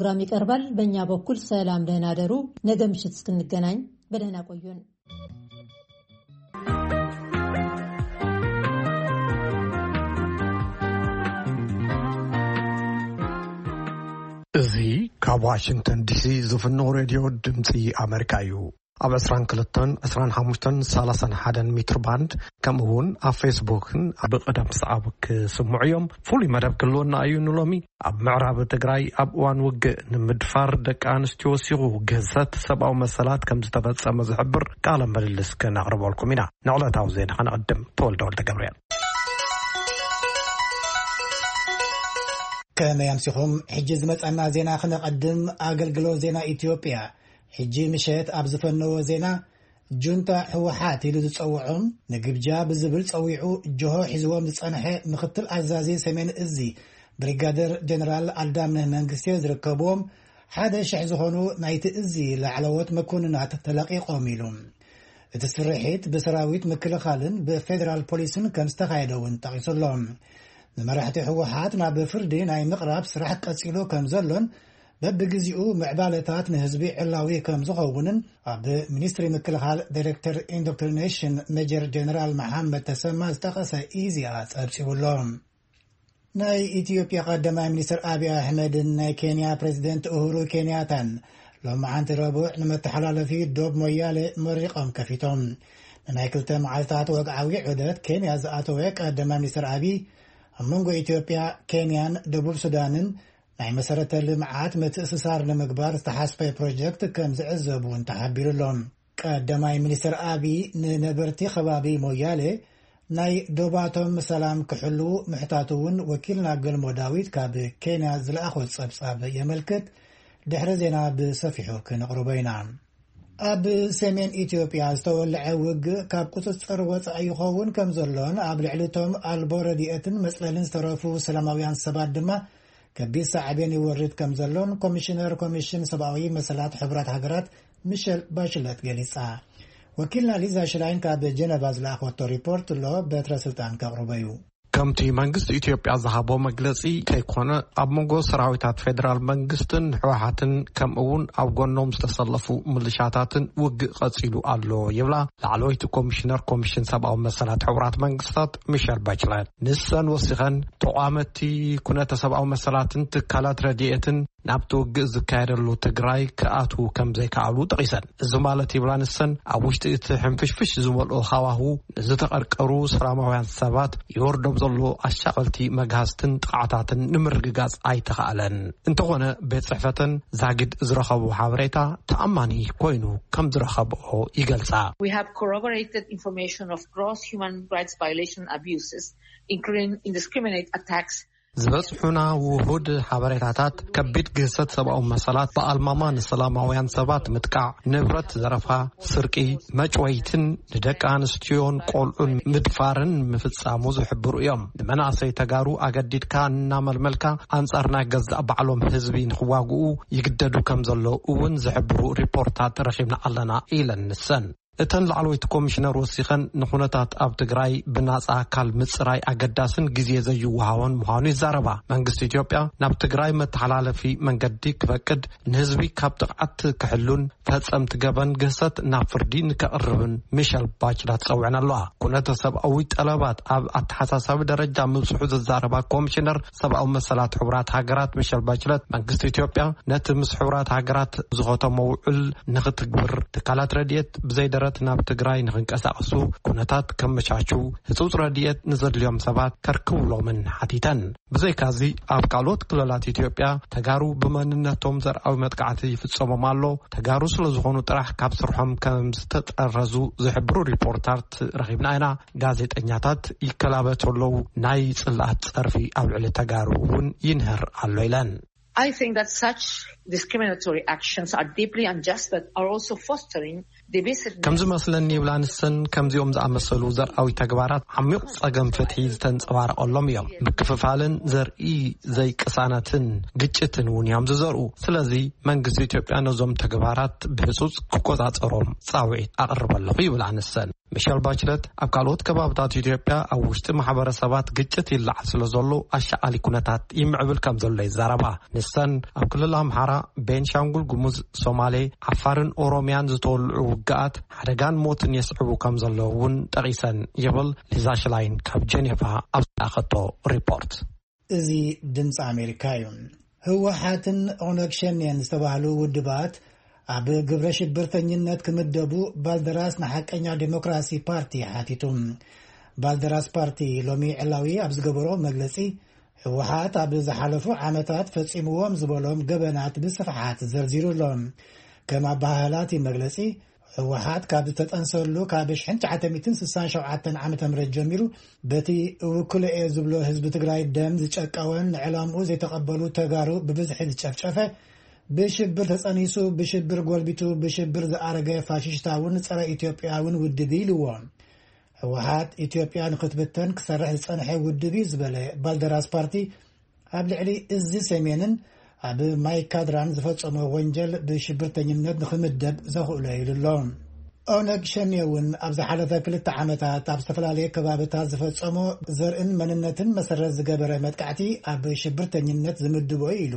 ፕሮግራም ይቀርባል። በእኛ በኩል ሰላም፣ ደህና ደሩ። ነገ ምሽት እስክንገናኝ በደህና ቆዩን። እዚ ካብ ዋሽንግተን ዲሲ ዝፍኖ ሬድዮ ድምፂ ኣመሪካ እዩ። ኣብ ዕስራን ክልተን፣ ዕስራን ሓሙሽተን፣ ሰላሳን ሓደን ሜትር ባንድ፣ ከምኡ እውን ኣብ ፌስቡክን ብቐደም ሰዓብ ክስምዑ እዮም። ፍሉይ መደብ ክህልወና እዩ ንሎሚ። ኣብ ምዕራብ ትግራይ ኣብ እዋን ውግእ ንምድፋር ደቂ ኣንስትዮ ወሲኹ ግህሰት ሰብኣዊ መሰላት ከም ዝተፈጸመ ዝሕብር ቃለ ምልልስ ክነቕርበልኩም ኢና። ንዕለታዊ ዜና ከነቕድም። ተወልደ ወልደ ገብርኤል። ከመይ ኣምሲኹም? ሕጂ ዝመጸና ዜና ክነቐድም። ኣገልግሎት ዜና ኢትዮጵያ ሕጂ ምሸት ኣብ ዝፈነዎ ዜና፣ ጁንታ ህወሓት ኢሉ ዝጸውዖም ንግብጃ ብዝብል ጸዊዑ ጅሆ ሒዝዎም ዝጸንሐ ምክትል ኣዛዚ ሰሜን እዚ ብሪጋደር ጀነራል ኣልዳምነህ መንግስቴ ዝርከብዎም ሓደ ሽሕ ዝኾኑ ናይቲ እዚ ላዕለዎት መኮንናት ተለቒቖም ኢሉ። እቲ ስርሒት ብሰራዊት ምክልኻልን ብፌደራል ፖሊስን ከም ዝተኻየደ እውን ጠቒሱ ኣሎ። ንመራሕቲ ህወሓት ናብ ፍርዲ ናይ ምቕራብ ስራሕ ቀጺሉ ከም ዘሎን በብግዜኡ ምዕባለታት ንህዝቢ ዕላዊ ከም ዝኸውንን ኣብ ሚኒስትሪ ምክልኻል ዳይሬክተር ኢንዶክትሪኔሽን ሜጀር ጀነራል መሓመድ ተሰማ ዝጠቐሰ ኢዜኣ ጸብጺቡ ኣሎ። ናይ ኢትዮጵያ ቀዳማይ ሚኒስትር ኣቢይ ኣሕመድን ናይ ኬንያ ፕሬዚደንት ኡሁሩ ኬንያታን ሎማዓንቲ ረቡዕ ንመተሓላለፊ ዶብ ሞያሌ መሪቖም ከፊቶም። ንናይ ክልተ መዓልታት ወግዓዊ ዑደት ኬንያ ዝኣተወ ቀዳማይ ሚኒስትር ኣቢይ፣ ኣብ መንጎ ኢትዮጵያ፣ ኬንያን ደቡብ ሱዳንን ናይ መሰረተ ልምዓት ምትእስሳር ንምግባር ዝተሓስበ ፕሮጀክት ከም ዝዕዘብ እውን ተሓቢሩ ኣሎ። ቀዳማይ ሚኒስትር ኣቢይ ንነበርቲ ከባቢ ሞያሌ ናይ ዶባቶም ሰላም ክሕልዉ ምሕታቱ እውን ወኪልና ገልሞ ዳዊት ካብ ኬንያ ዝለኣኾ ጸብጻብ የመልክት። ድሕሪ ዜና ብሰፊሑ ክነቕርቦ ኢና። ኣብ ሰሜን ኢትዮጵያ ዝተወልዐ ውግእ ካብ ቁጽጽር ወጻኢ ይኸውን ከም ዘሎን ኣብ ልዕሊ እቶም ኣልቦ ረድኤትን መጽለልን ዝተረፉ ሰላማውያን ሰባት ድማ ከቢድ ሳዕቤን ይወርድ ከም ዘሎን ኮሚሽነር ኮሚሽን ሰብኣዊ መሰላት ሕቡራት ሃገራት ሚሸል ባሽለት ገሊጻ። ወኪልና ሊዛ ሽላይን ካብ ጀነቫ ዝለኣኸቶ ሪፖርት ኣሎ፣ በትረ ስልጣን ከቕርቦ እዩ። ከምቲ መንግስቲ ኢትዮጵያ ዝሃቦ መግለጺ ከይኮነ፣ ኣብ መንጎ ሰራዊታት ፌደራል መንግስትን ህወሓትን ከምኡ እውን ኣብ ጎኖም ዝተሰለፉ ምልሻታትን ውግእ ቀጺሉ ኣሎ ይብላ ላዕለወይቲ ኮሚሽነር ኮሚሽን ሰብኣዊ መሰላት ሕቡራት መንግስታት ሚሸል ባችለት። ንሰን ወሲኸን፣ ተቋመቲ ኩነተ ሰብኣዊ መሰላትን ትካላት ረድኤትን ናብቲ ውግእ ዝካየደሉ ትግራይ ክኣትዉ ከም ዘይከኣሉ ጠቒሰን። እዚ ማለት ይብላ ንሰን፣ ኣብ ውሽጢ እቲ ሕንፍሽፍሽ ዝመልኦ ሃዋሁ ንዝተቐርቀሩ ሰላማውያን ሰባት ይወርዶም ዘሎ ኣሻቐልቲ መግሃስትን ጥቓዕታትን ንምርግጋጽ ኣይተኻእለን። እንተኾነ ቤት ጽሕፈተን ዛጊድ ዝረኸቡ ሓበሬታ ተኣማኒ ኮይኑ ከም ዝረኸብኦ ይገልጻ። We have corroborated information of gross human rights violation abuses, including indiscriminate attacks ዝበጽሑና ውሁድ ሓበሬታታት ከቢድ ግህሰት ሰብኣዊ መሰላት፣ ብኣልማማ ንሰላማውያን ሰባት ምጥቃዕ፣ ንብረት ዘረፋ፣ ስርቂ፣ መጭወይትን ንደቂ ኣንስትዮን ቆልዑን ምድፋርን ምፍጻሙ ዝሕብሩ እዮም። ንመናእሰይ ተጋሩ ኣገዲድካ እናመልመልካ ኣንጻር ናይ ገዛእ ባዕሎም ህዝቢ ንኽዋግኡ ይግደዱ ከም ዘለዉ እውን ዝሕብሩ ሪፖርታት ረኺብና ኣለና ኢለን ንሰን። እተን ላዕለወይቲ ኮሚሽነር ወሲኸን፣ ንኹነታት ኣብ ትግራይ ብናጻ ኣካል ምጽራይ ኣገዳስን ግዜ ዘይወሃቦን ምዃኑ ይዛረባ። መንግስቲ ኢትዮጵያ ናብ ትግራይ መተሓላለፊ መንገዲ ክፈቅድ፣ ንህዝቢ ካብ ጥቕዓት ክሕሉን ፈጸምቲ ገበን ግህሰት ናብ ፍርዲ ንከቕርብን ሚሸል ባችላት ጸውዐን ኣለዋ። ኩነተ ሰብኣዊ ጠለባት ኣብ ኣተሓሳሳቢ ደረጃ ምብጽሑ ዝዛረባ ኮሚሽነር ሰብኣዊ መሰላት ሕቡራት ሃገራት ሚሸል ባችለት፣ መንግስቲ ኢትዮጵያ ነቲ ምስ ሕቡራት ሃገራት ዝኸተሞ ውዕል ንኽትግብር፣ ትካላት ረድኤት ብዘይደረት ናብ ትግራይ ንኽንቀሳቐሱ ኩነታት ከመቻችው፣ ህጹጽ ረድኤት ንዘድልዮም ሰባት ከርክብሎምን ሓቲተን። ብዘይካዚ፣ ኣብ ካልኦት ክልላት ኢትዮጵያ ተጋሩ ብመንነቶም ዘርኣዊ መጥቃዕቲ ይፍጸሞም ኣሎ። ተጋሩ ስለ ዝኾኑ ጥራሕ ካብ ስርሖም ከም ዝተጠረዙ ዝሕብሩ ሪፖርታት ረኺብና ኢና። ጋዜጠኛታት ይከላበቱ ኣለዉ። ናይ ጽልኣት ጸርፊ ኣብ ልዕሊ ተጋሩ እውን ይንህር ኣሎ ኢለን። I think that such discriminatory actions are deeply unjust, but are also fostering ከም ዝመስለኒ ይብላ ንሰን፣ ከምዚኦም ዝኣመሰሉ ዘርኣዊ ተግባራት ዓሚቕ ጸገም ፍትሒ ዝተንጸባረቐሎም እዮም። ምክፍፋልን ዘርኢ ዘይቅሳነትን ግጭትን እውን እዮም ዝዘርኡ። ስለዚ መንግስቲ ኢትዮጵያ ነዞም ተግባራት ብህጹጽ ክቆጻጸሮም ጻውዒት ኣቕርብ ኣለኹ ይብላ ንሰን። ሚሸል ባችለት ኣብ ካልኦት ከባብታት ኢትዮጵያ ኣብ ውሽጢ ማሕበረሰባት ግጭት ይለዓል ስለ ዘሎ ኣሻቓሊ ኩነታት ይምዕብል ከም ዘሎ ይዛረባ። ንሰን ኣብ ክልል ኣምሓራ፣ ቤንሻንጉል ጉሙዝ፣ ሶማሌ፣ ዓፋርን ኦሮሚያን ዝተወልዑ ውግኣት ሓደጋን ሞትን የስዕቡ ከም ዘለዉ እውን ጠቒሰን ይብል ሊዛ ሽላይን ካብ ጀኔቫ ኣብ ዝለኣኸቶ ሪፖርት። እዚ ድምፂ ኣሜሪካ እዩ። ህወሓትን ኦነግ ሸኔን ዝተባህሉ ውድባት ኣብ ግብረ ሽብርተኝነት ክምደቡ ባልደራስ ንሓቀኛ ዴሞክራሲ ፓርቲ ሓቲቱ። ባልደራስ ፓርቲ ሎሚ ዕላዊ ኣብ ዝገበሮ መግለጺ፣ ህወሓት ኣብ ዝሓለፉ ዓመታት ፈጺምዎም ዝበሎም ገበናት ብስፍሓት ዘርዚሩ ኣሎ። ከም ኣበሃህላ እቲ መግለጺ፣ ህወሓት ካብ ዝተጠንሰሉ ካብ ሽሕን ትሽዓተ ሚእትን ስሳን ሸውዓተን ዓመተ ምህረት ጀሚሩ፣ በቲ እውክሎ እየ ዝብሎ ህዝቢ ትግራይ ደም ዝጨቀወን ንዕላምኡ ዘይተቐበሉ ተጋሩ ብብዝሒ ዝጨፍጨፈ፣ ብሽብር ተጸኒሱ፣ ብሽብር ጎልቢቱ፣ ብሽብር ዝኣረገ ፋሽስታውን ጸረ ኢትዮጵያውን ውድብ ኢልዎ። ህወሓት ኢትዮጵያ ንክትብተን ክሰርሕ ዝጸንሐ ውድብ እዩ ዝበለ ባልደራስ ፓርቲ፣ ኣብ ልዕሊ እዚ ሰሜንን ኣብ ማይ ካድራን ዝፈጸሞ ወንጀል ብሽብርተኝነት ንክምደብ ዘኽእሎ ኢሉ ኣሎ። ኦነግ ሸኔ እውን ኣብ ዝሓለፈ ክልተ ዓመታት ኣብ ዝተፈላለየ ከባብታት ዝፈጸሞ ዘርእን መንነትን መሰረት ዝገበረ መጥቃዕቲ ኣብ ሽብርተኝነት ዝምድቦ እዩ ኢሉ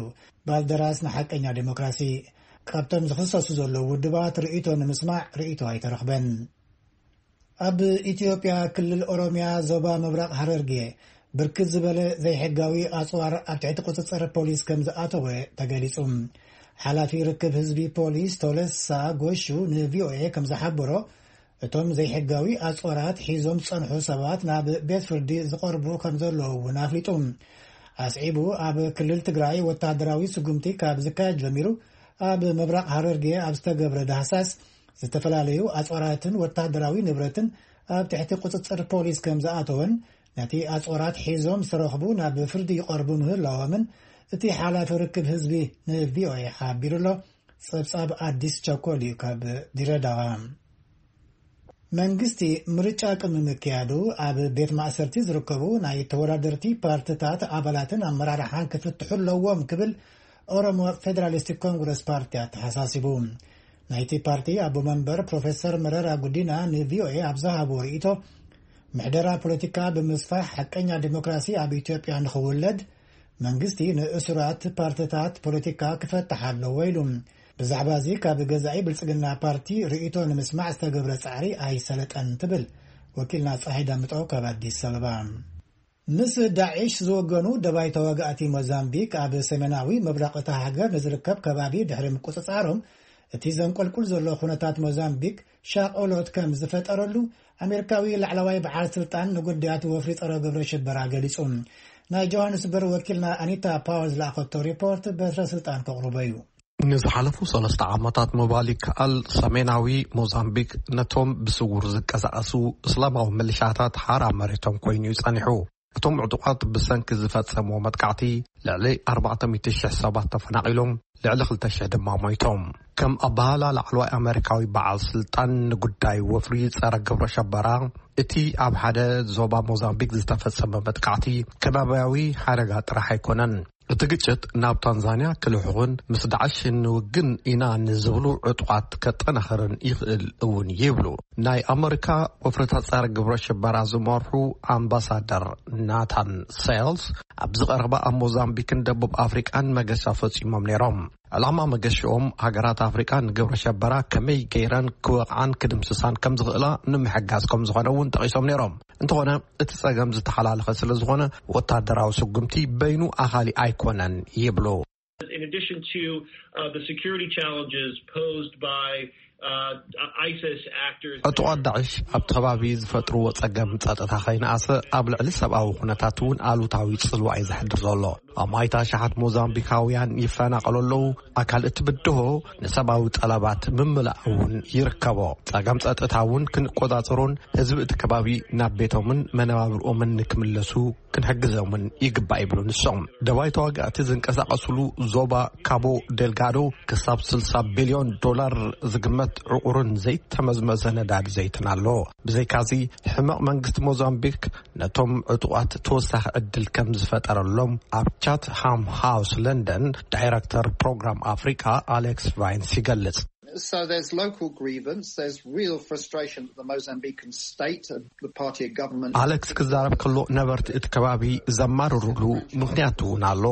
ባልደራስ ንሓቀኛ ዴሞክራሲ። ካብቶም ዝኽሰሱ ዘለዉ ውድባት ርእይቶ ንምስማዕ ርእይቶ ኣይተረኽበን። ኣብ ኢትዮጵያ ክልል ኦሮሚያ ዞባ ምብራቕ ሃረርጌ ብርክት ዝበለ ዘይሕጋዊ ኣጽዋር ኣብ ትሕቲ ቁጽጽር ፖሊስ ከም ዝኣተወ ተገሊጹ። ሓላፊ ርክብ ህዝቢ ፖሊስ ቶለሳ ጎሹ ንቪኦኤ ከም ዝሓበሮ፣ እቶም ዘይሕጋዊ ኣጽዋራት ሒዞም ዝጸንሑ ሰባት ናብ ቤት ፍርዲ ዝቐርቡ ከም ዘለዉ እውን ኣፍሊጡ። ኣስዒቡ፣ ኣብ ክልል ትግራይ ወታደራዊ ስጉምቲ ካብ ዝካየድ ጀሚሩ፣ ኣብ ምብራቕ ሃረርጌ ኣብ ዝተገብረ ዳህሳስ፣ ዝተፈላለዩ ኣጽዋራትን ወታደራዊ ንብረትን ኣብ ትሕቲ ቁጽጽር ፖሊስ ከም ዝኣተወን፣ ነቲ ኣጽዋራት ሒዞም ዝተረኽቡ ናብ ፍርዲ ይቐርቡ ምህላዎምን እቲ ሓላፊ ርክብ ህዝቢ ንቪኦኤ ሓቢሩ ኣሎ። ጸብጻብ ኣዲስ ቸኮል እዩ ካብ ድሬዳዋ። መንግስቲ ምርጫ ቅድሚ ምክያዱ ኣብ ቤት ማእሰርቲ ዝርከቡ ናይ ተወዳደርቲ ፓርትታት ኣባላትን ኣመራርሓን ክፍትሑ ኣለዎም ክብል ኦሮሞ ፌደራሊስቲክ ኮንግረስ ፓርቲ ኣተሓሳሲቡ። ናይቲ ፓርቲ ኣቦ መንበር ፕሮፌሰር መረራ ጉዲና ንቪኦኤ ኣብ ዝሃቦ ርእይቶ፣ ምሕደራ ፖለቲካ ብምስፋሕ ሓቀኛ ዲሞክራሲ ኣብ ኢትዮጵያ ንኽውለድ መንግስቲ ንእሱራት ፓርትታት ፖለቲካ ክፈትሕ ኣለዎ ኢሉ። ብዛዕባ እዚ ካብ ገዛኢ ብልጽግና ፓርቲ ርእይቶ ንምስማዕ ዝተገብረ ጻዕሪ ኣይሰለጠን ትብል ወኪልና ጸሓይ ዳምጠው ካብ ኣዲስ ኣበባ። ምስ ዳዒሽ ዝወገኑ ደባይ ተዋጋእቲ ሞዛምቢክ ኣብ ሰሜናዊ ምብራቕ እታ ሃገር ንዝርከብ ከባቢ ድሕሪ ምቁጽጻሮም፣ እቲ ዘንቆልቁል ዘሎ ኩነታት ሞዛምቢክ ሻቕሎት ከም ዝፈጠረሉ ኣሜሪካዊ ላዕለዋይ በዓል ስልጣን ንጉዳያት ወፍሪ ጸረ ግብረ ሽበራ ገሊጹ። ናይ ጆሃንስበርግ ወኪልና ኣኒታ ፓወር ዝለኣኸቶ ሪፖርት በትረ ስልጣን ከቕርቦ እዩ። ንዝሓለፉ ሰለስተ ዓመታት ምባል ይከኣል፣ ሰሜናዊ ሞዛምቢክ ነቶም ብስውር ዝንቀሳቐሱ እስላማዊ ምልሻታት ሓራ መሬቶም ኮይኑ እዩ ጸኒሑ። እቶም ዕጡቓት ብሰንኪ ዝፈጸምዎ መጥቃዕቲ ልዕሊ ኣርባዕተ ሚእቲ ሽሕ ሰባት ተፈናቒሎም፣ ልዕሊ ክልተ ሽሕ ድማ ሞይቶም። ከም ኣበሃህላ ላዕለዋይ ኣመሪካዊ በዓል ስልጣን ንጉዳይ ወፍሪ ጸረ ግብረ ሸበራ፣ እቲ ኣብ ሓደ ዞባ ሞዛምቢክ ዝተፈጸመ መጥቃዕቲ ከባብያዊ ሓደጋ ጥራሕ ኣይኮነን። እቲ ግጭት ናብ ታንዛንያ ክልሕኹን ምስ ዳዕሽ ንውግን ኢና ንዝብሉ ዕጡቓት ከጠናኽርን ይኽእል እውን ይብሉ ናይ ኣመሪካ ወፍርታት ጸረ ግብረ ሽበራ ዝመርሑ ኣምባሳደር ናታን ሴልስ። ኣብዚ ቀረባ ኣብ ሞዛምቢክን ደቡብ ኣፍሪቃን መገሻ ፈጺሞም ነይሮም። ዕላማ መገሽኦም ሃገራት ኣፍሪቃ ንግብረ ሸበራ ከመይ ገይረን ክወቕዓን ክድምስሳን ከም ዝኽእላ ንምሕጋዝ ከም ዝኾነ እውን ጠቒሶም ነይሮም። እንተኾነ እቲ ጸገም ዝተሓላለኸ ስለ ዝኾነ ወታደራዊ ስጉምቲ በይኑ ኣኻሊ ኣይኮነን ይብሉ። In addition to uh, the security challenges posed by uh, ISIS actors. ዕጡቓት ዳዕሽ ኣብቲ ከባቢ ዝፈጥርዎ ጸገም ጸጥታ ከይነኣሰ ኣብ ልዕሊ ሰብኣዊ ኩነታት እውን ኣሉታዊ ጽልዋ እዩ ዘሕድር ዘሎ። ኣማኢት ኣሽሓት ሞዛምቢካውያን ይፈናቐሉ ኣለዉ። ኣካል እቲ ብድሆ ንሰብኣዊ ጠለባት ምምላእ እውን ይርከቦ። ጸገም ጸጥታ እውን ክንቆጻጸሮን ህዝቢ እቲ ከባቢ ናብ ቤቶምን መነባብርኦምን ንክምለሱ ክንሕግዞምን ይግባእ ይብሉ ንሶም። ደባይ ተዋጋእቲ ዝንቀሳቐስሉ ዞባ ካቦ ዴልጋዶ ክሳብ ስልሳ ቢልዮን ዶላር ዝግመት ዕቑርን ዘይተመዝመዘ ነዳዲ ዘይትን ኣሎ። ብዘይካዚ፣ ሕመቕ መንግስቲ ሞዛምቢክ ነቶም ዕጡቓት ተወሳኺ ዕድል ከም ዝፈጠረሎም ኣብ ቻት ሃም ሃውስ ለንደን ዳይረክተር ፕሮግራም ኣፍሪቃ ኣሌክስ ቫይንስ ይገልጽ። So there's local grievance, there's real frustration that the Mozambican state, the party of government. ኣሌክስ ክዛረብ ከሎ፣ ነበርቲ እቲ ከባቢ ዘማርሩሉ ምኽንያት እውን ኣሎ።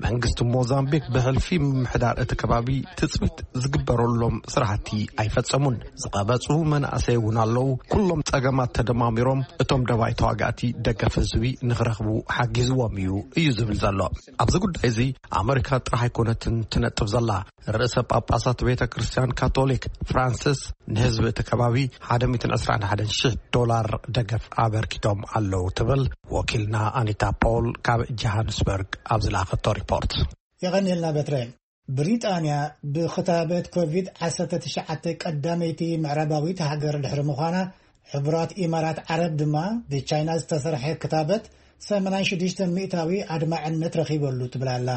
መንግስቲ ሞዛምቢክ ብሕልፊ ምምሕዳር እቲ ከባቢ ትጽቢት ዝግበረሎም ስራሕቲ ኣይፈጸሙን። ዝቐበጹ መናእሰይ እውን ኣለዉ። ኩሎም ጸገማት ተደማሚሮም እቶም ደባይ ተዋጋእቲ ደገፍ ህዝቢ ንኽረኽቡ ሓጊዝዎም እዩ፣ እዩ ዝብል ዘሎ። ኣብዚ ጉዳይ እዚ ኣመሪካ ጥራሕ ኣይኮነትን ትነጥፍ ዘላ። ርእሰ ጳጳሳት ቤተ ክርስቲያን ካቶሊክ ፍራንሲስ ንህዝቢ እቲ ከባቢ ሓደ ሚእትን ዕስራን ሓደን ሽሕ ዶላር ደገፍ ኣበርኪቶም ኣለዉ ትብል ወኪልና ኣኒታ ፖል ካብ ጆሃንስበርግ ኣብ ዝለኣኸቶ ሪፖርት። የቐንየልና በትረ። ብሪጣንያ ብክታበት ኮቪድ ዓሰርተ ትሽዓተ ቀዳመይቲ ምዕራባዊት ሃገር ድሕሪ ምዃና፣ ሕቡራት ኢማራት ዓረብ ድማ ብቻይና ዝተሰርሐ ክታበት ሰማንያን ሽዱሽተ ሚእታዊ ኣድማዕነት ረኺበሉ ትብል ኣላ።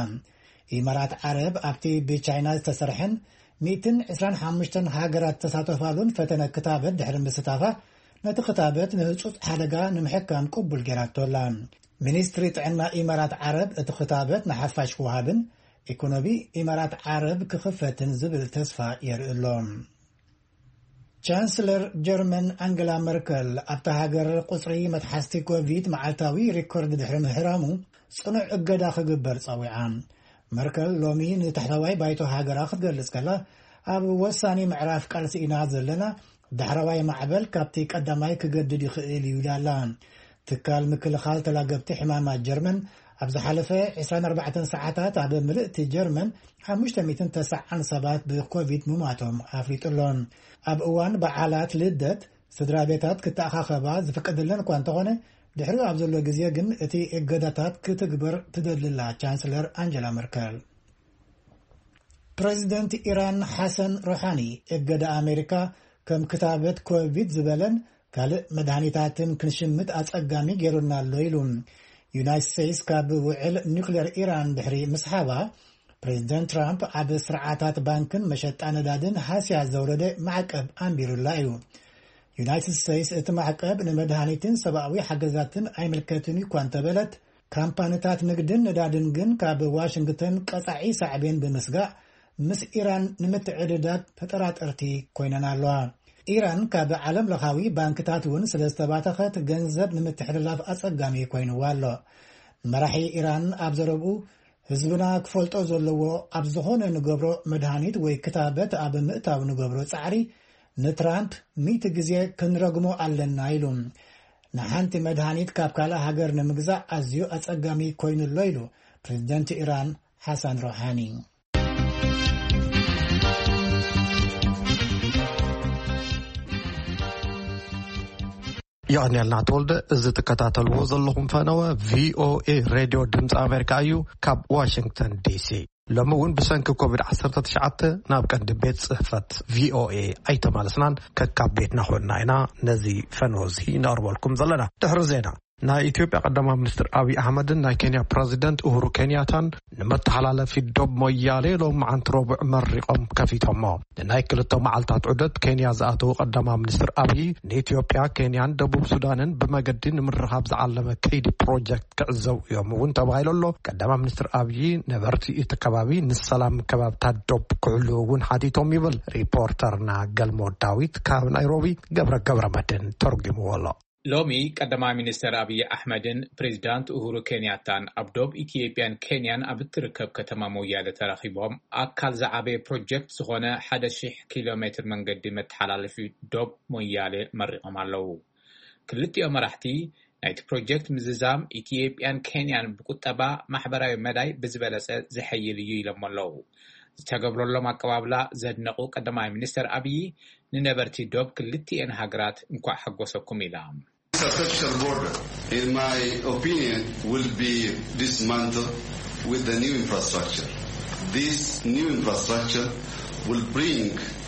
ኢማራት ዓረብ ኣብቲ ብቻይና ዝተሰርሐን ሚእትን ዕስራን ሓሙሽተን ሃገራት ዝተሳተፋሉን ፈተነ ክታበት ድሕሪ ምስታፋ፣ ነቲ ክታበት ንህጹጽ ሓደጋ ንምሕካም ቅቡል ገይራቶ ኣላ። ሚኒስትሪ ጥዕና ኢማራት ዓረብ እቲ ክታበት ንሓፋሽ ክወሃብን ኢኮኖሚ ኢማራት ዓረብ ክኽፈትን ዝብል ተስፋ የርኢ ኣሎ። ቻንስለር ጀርመን ኣንገላ መርከል ኣብታ ሃገር ቁጽሪ መትሓዝቲ ኮቪድ መዓልታዊ ሪኮርድ ድሕሪ ምህራሙ ጽኑዕ እገዳ ክግበር ጸዊዓ። መርከል ሎሚ ንታሕተዋይ ባይቶ ሃገራ ክትገልጽ ከላ፣ ኣብ ወሳኒ ምዕራፍ ቃልሲ ኢና ዘለና፣ ዳሕረዋይ ማዕበል ካብቲ ቀዳማይ ክገድድ ይኽእል እዩ ኢላ ኣላ። ትካል ምክልኻል ተላገብቲ ሕማማት ጀርመን ኣብ ዝሓለፈ ዕስራን ኣርባዕተን ሰዓታት ኣብ ምልእቲ ጀርመን ሓሙሽተ ሚእትን ተስዓን ሰባት ብኮቪድ ምማቶም ኣፍሊጡ ኣሎ። ኣብ እዋን በዓላት ልደት ስድራ ቤታት ክተኣኻኸባ ዝፍቀደለን እኳ እንተኾነ፣ ድሕሪኡ ኣብ ዘሎ ግዜ ግን እቲ እገዳታት ክትግበር ትደሊ ኣላ ቻንስለር ኣንጀላ መርከል። ፕሬዚደንት ኢራን ሓሰን ሮሓኒ፣ እገዳ ኣሜሪካ ከም ክታበት ኮቪድ ዝበለን ካልእ መድሃኒታትን ክንሽምት ኣጸጋሚ ገይሩና ኣሎ ኢሉ። ዩናይትድ ስቴትስ ካብ ውዕል ኒውክሌር ኢራን ድሕሪ ምስሓባ፣ ፕሬዚደንት ትራምፕ ኣብ ስርዓታት ባንክን መሸጣ ነዳድን ሃስያ ዘውረደ ማዕቀብ ኣንቢሩላ እዩ። ዩናይትድ ስቴትስ እቲ ማዕቀብ ንመድሃኒትን ሰብኣዊ ሓገዛትን ኣይምልከትን እዩ እኳ እንተበለት፣ ካምፓኒታት ንግድን ነዳድን ግን ካብ ዋሽንግተን ቀጻዒ ሳዕቤን ብምስጋእ፣ ምስ ኢራን ንምትዕድዳግ ተጠራጠርቲ ኮይነን ኣለዋ። ኢራን ካብ ዓለም ለኻዊ ባንክታት እውን ስለ ዝተባተኸት፣ ገንዘብ ንምትሕልላፍ ኣጸጋሚ ኮይንዋ ኣሎ። መራሒ ኢራን ኣብ ዘረብኡ፣ ህዝብና ክፈልጦ ዘለዎ፣ ኣብ ዝኾነ ንገብሮ መድሃኒት ወይ ክታበት ኣብ ምእታው ንገብሮ ጻዕሪ ንትራምፕ ሚእቲ ግዜ ክንረግሞ ኣለና ኢሉ። ንሓንቲ መድሃኒት ካብ ካልእ ሃገር ንምግዛእ ኣዝዩ ኣጸጋሚ ኮይኑ ኣሎ ኢሉ ፕሬዚደንት ኢራን ሓሳን ሮሓኒ። የቐንየልና ተወልደ። እዚ ትከታተልዎ ዘለኹም ፈነወ ቪኦኤ ሬድዮ ድምፂ ኣሜሪካ እዩ፣ ካብ ዋሽንግተን ዲሲ። ሎሚ እውን ብሰንኪ ኮቪድ ዓሰርተ ትሽዓተ ናብ ቀንዲ ቤት ጽሕፈት ቪኦኤ ኣይተመለስናን፣ ከካብ ቤትና ኮይንና ኢና ነዚ ፈነወ እዚ ነቕርበልኩም ዘለና። ድሕሪ ዜና፣ ናይ ኢትዮጵያ ቀዳማይ ሚኒስትር ኣብይ ኣሕመድን ናይ ኬንያ ፕረዚደንት ኡሁሩ ኬንያታን ንመተሓላለፊ ዶብ ሞያሌ ሎሚ መዓንቲ ረቡዕ መሪቖም ከፊቶሞ። ንናይ ክልተ መዓልታት ዑደት ኬንያ ዝኣተዉ ቀዳማይ ሚኒስትር ኣብይ፣ ንኢትዮጵያ፣ ኬንያን ደቡብ ሱዳንን ብመገዲ ንምርኻብ ዝዓለመ ከይዲ ፕሮጀክት ክዕዘቡ እዮም እውን ተባሂሉ ኣሎ። ቀዳማይ ሚኒስትር ኣብይ፣ ነበርቲ እቲ ከባቢ ንሰላም ከባብታት ዶብ ክሕልዉ እውን ሓቲቶም ይብል ሪፖርተርና ገልሞ ዳዊት ካብ ናይሮቢ። ገብረ ገብረ መድህን ተርጉምዎ ኣሎ። ሎሚ ቀዳማይ ሚኒስተር ኣብይ ኣሕመድን ፕሬዚዳንት ኡሁሩ ኬንያታን ኣብ ዶብ ኢትዮጵያን ኬንያን ኣብ እትርከብ ከተማ ሞያሌ ተራኺቦም፣ ኣካል ዝዓበየ ፕሮጀክት ዝኾነ ሓደ ሺሕ ኪሎ ሜትር መንገዲ መተሓላለፊ ዶብ ሞያሌ መሪቖም ኣለዉ። ክልቲኦም መራሕቲ፣ ናይቲ ፕሮጀክት ምዝዛም ኢትዮጵያን ኬንያን ብቁጠባ፣ ማሕበራዊ መዳይ ብዝበለጸ ዘሐይል እዩ ኢሎም ኣለዉ። ዝተገብረሎም ኣቀባብላ ዘድነቑ ቀዳማይ ሚኒስተር ኣብይ፣ ንነበርቲ ዶብ ክልቲኤን ሃገራት እንኳዕ ሓጎሰኩም ኢላ። Infrastructure border, in my opinion, will be dismantled with the new infrastructure. This new infrastructure will bring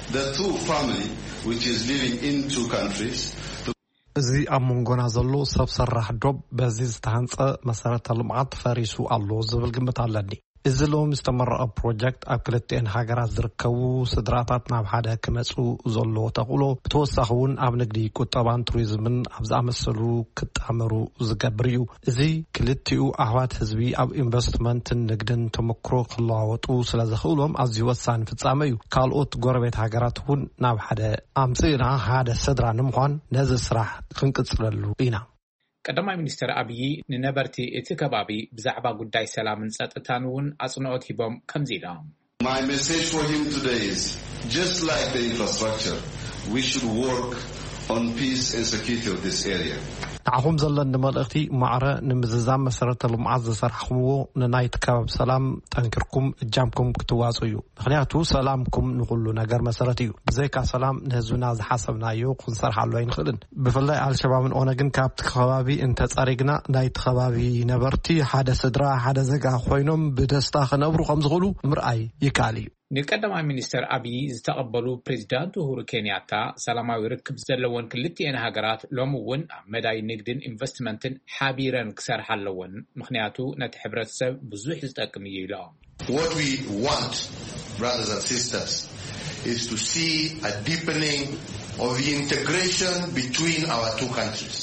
the two family which is living in two countries to እዚ ኣብ መንጎና ዘሎ ሰብ ሰራሕ ዶብ በዚ ዝተሃንጸ መሰረተ ልምዓት ፈሪሱ ኣሎ ዝብል ግምት ኣለኒ። እዚ ሎሚ ዝተመረቐ ፕሮጀክት ኣብ ክልቲኤን ሃገራት ዝርከቡ ስድራታት ናብ ሓደ ክመጹ ዘለዎ ተኽእሎ፣ ብተወሳኺ እውን ኣብ ንግዲ፣ ቁጠባን ቱሪዝምን ኣብ ዝኣመሰሉ ክጣመሩ ዝገብር እዩ። እዚ ክልቲኡ ኣሕዋት ህዝቢ ኣብ ኢንቨስትመንትን ንግድን ተመክሮ ክለዋወጡ ስለ ዘኽእሎም ኣዝዩ ወሳኒ ፍጻመ እዩ። ካልኦት ጎረቤት ሃገራት እውን ናብ ሓደ ኣምጽእና ሓደ ስድራ ንምዃን ነዚ ስራሕ ክንቅጽለሉ ኢና። ቀዳማይ ሚኒስትር ኣብዪ ንነበርቲ እቲ ከባቢ ብዛዕባ ጉዳይ ሰላምን ጸጥታን እውን ኣጽንኦት ሂቦም ከምዚ ኢሎም። My message for him today is, just like the infrastructure, we should work on peace and security of this area. ንዓኹም ዘለኒ መልእኽቲ፣ ማዕረ ንምዝዛም መሰረተ ልምዓት ዝሰራሕኹምዎ፣ ንናይቲ ከባቢ ሰላም ጠንኪርኩም እጃምኩም ክትዋፅኡ እዩ። ምኽንያቱ ሰላምኩም ንኹሉ ነገር መሰረት እዩ። ብዘይካ ሰላም ንህዝብና ዝሓሰብናዮ ክንሰርሓሉ ኣይንኽእልን። ብፍላይ ኣልሸባብን ኦነግን ካብቲ ከባቢ እንተፀሪግና፣ ናይቲ ከባቢ ነበርቲ ሓደ ስድራ፣ ሓደ ዜጋ ኮይኖም ብደስታ ክነብሩ ከም ዝኽእሉ ምርኣይ ይከኣል እዩ። ንቀዳማይ ሚኒስተር ኣብዪ ዝተቐበሉ ፕሬዚዳንት ኡሁሩ ኬንያታ፣ ሰላማዊ ርክብ ዘለወን ክልቲኤን ሃገራት ሎሚ እውን ኣብ መዳይ ንግድን ኢንቨስትመንትን ሓቢረን ክሰርሓ ኣለወን፣ ምኽንያቱ ነቲ ሕብረተሰብ ብዙሕ ዝጠቅም እዩ ኢሎም። What we want, brothers and sisters, is to see a deepening of the integration between our two countries.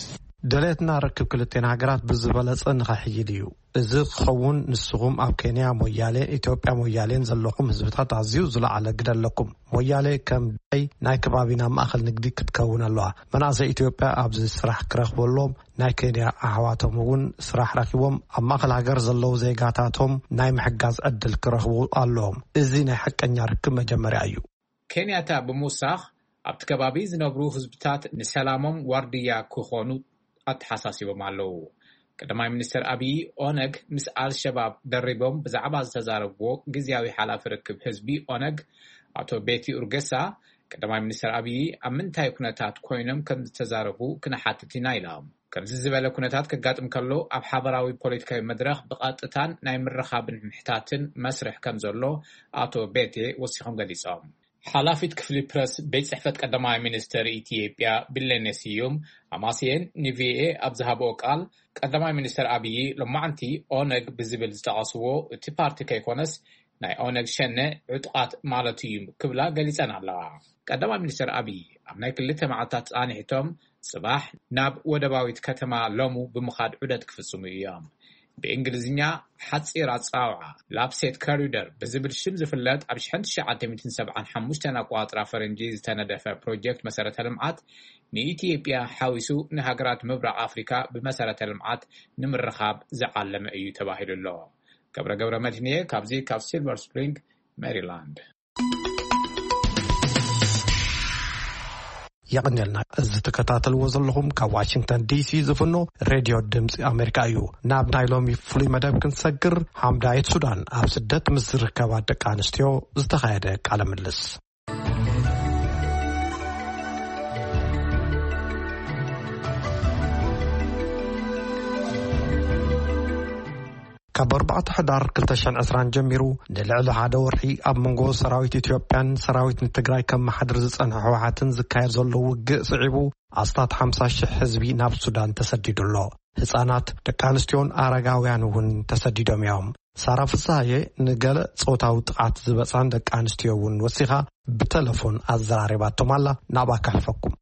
ደሌትና ርክብ ክልቴን ሃገራት ብዝበለጸ ንኸሕይል እዩ። እዚ ክኸውን ንስኹም ኣብ ኬንያ ሞያሌ፣ ኢትዮጵያ ሞያሌን ዘለኹም ህዝብታት ኣዝዩ ዝለዓለ ግደ ኣለኩም። ሞያሌ ከም ዳይ ናይ ከባቢና ማእኸል ንግዲ ክትከውን ኣለዋ። መናእሰይ ኢትዮጵያ ኣብዚ ስራሕ ክረኽቡ ኣለዎም። ናይ ኬንያ ኣሕዋቶም እውን ስራሕ ረኺቦም ኣብ ማእኸል ሃገር ዘለዉ ዜጋታቶም ናይ ምሕጋዝ ዕድል ክረኽቡ ኣለዎም። እዚ ናይ ሓቀኛ ርክብ መጀመርያ እዩ። ኬንያታ ብምውሳኽ ኣብቲ ከባቢ ዝነብሩ ህዝብታት ንሰላሞም ዋርድያ ክኾኑ ኣተሓሳሲቦም ኣለዉ። ቀዳማይ ሚኒስትር ኣብዪ ኦነግ ምስ ኣልሸባብ ደሪቦም ብዛዕባ ዝተዛረብዎ ግዝያዊ ሓላፊ ርክብ ህዝቢ ኦነግ ኣቶ ቤቲ ኡርገሳ፣ ቀዳማይ ሚኒስትር ኣብዪ ኣብ ምንታይ ኩነታት ኮይኖም ከም ዝተዛረቡ ክንሓትት ኢና ኢሎም። ከምዚ ዝበለ ኩነታት ከጋጥም ከሎ ኣብ ሓበራዊ ፖለቲካዊ መድረኽ ብቐጥታን ናይ ምርኻብን ምሕታትን መስርሕ ከም ዘሎ ኣቶ ቤቴ ወሲኾም ገሊጾም። ሓላፊት ክፍሊ ፕረስ ቤት ጽሕፈት ቀዳማይ ሚኒስትር ኢትዮጵያ ቢለኔ ስዩም ኣማስየን ንቪኦኤ ኣብ ዝሃብኦ ቃል፣ ቀዳማይ ሚኒስትር ኣብዪ ሎማዕንቲ ኦነግ ብዝብል ዝጠቐስዎ እቲ ፓርቲ ከይኮነስ ናይ ኦነግ ሸነ ዕጡቓት ማለት እዩ ክብላ ገሊጸን ኣለዋ። ቀዳማይ ሚኒስትር ኣብዪ ኣብ ናይ ክልተ መዓልታት ጻንሒቶም ጽባሕ ናብ ወደባዊት ከተማ ሎሙ ብምኻድ ዑደት ክፍጽሙ እዮም። ብእንግሊዝኛ ሓጺር ኣጸዋውዓ ላፕሴት ኮሪደር ብዝብል ሽም ዝፍለጥ ኣብ ሸሕን ትሽዓተ ሚእትን ሰብዓን ሓሙሽተን ኣቆጻጽራ ፈረንጂ ዝተነደፈ ፕሮጀክት መሰረተ ልምዓት ንኢትዮጵያ ሓዊሱ ንሃገራት ምብራቕ ኣፍሪካ ብመሰረተ ልምዓት ንምርኻብ ዝዓለመ እዩ ተባሂሉ ኣሎ። ገብረ ገብረ መድህንየ ካብዚ ካብ ሲልቨር ስፕሪንግ ሜሪላንድ። የቐንየልና። እዚ ትከታተልዎ ዘለኹም ካብ ዋሽንግተን ዲሲ ዝፍኖ ሬድዮ ድምፂ ኣሜሪካ እዩ። ናብ ናይ ሎሚ ፍሉይ መደብ ክንሰግር፣ ሓምዳየት ሱዳን ኣብ ስደት ምስ ዝርከባ ደቂ ኣንስትዮ ዝተኻየደ ቃለ ምልልስ። ካብ ኣርባዕተ ሕዳር ክልተ ሽሕን ዕስራን ጀሚሩ ንልዕሊ ሓደ ወርሒ ኣብ መንጎ ሰራዊት ኢትዮጵያን ሰራዊት ንትግራይ ከመሓድር ዝጸንሐ ህወሓትን ዝካየድ ዘሎ ውግእ ስዒቡ፣ ኣስታት ሓምሳ ሽሕ ህዝቢ ናብ ሱዳን ተሰዲዱ ኣሎ። ህጻናት፣ ደቂ ኣንስትዮን ኣረጋውያን እውን ተሰዲዶም እዮም። ሳራ ፍስሃየ ንገለ ጾታዊ ጥቓት ዝበጻን ደቂ ኣንስትዮ እውን ወሲኻ ብተለፎን ኣዘራሪባቶም ኣላ። ናብኣ ከሕፈኩም።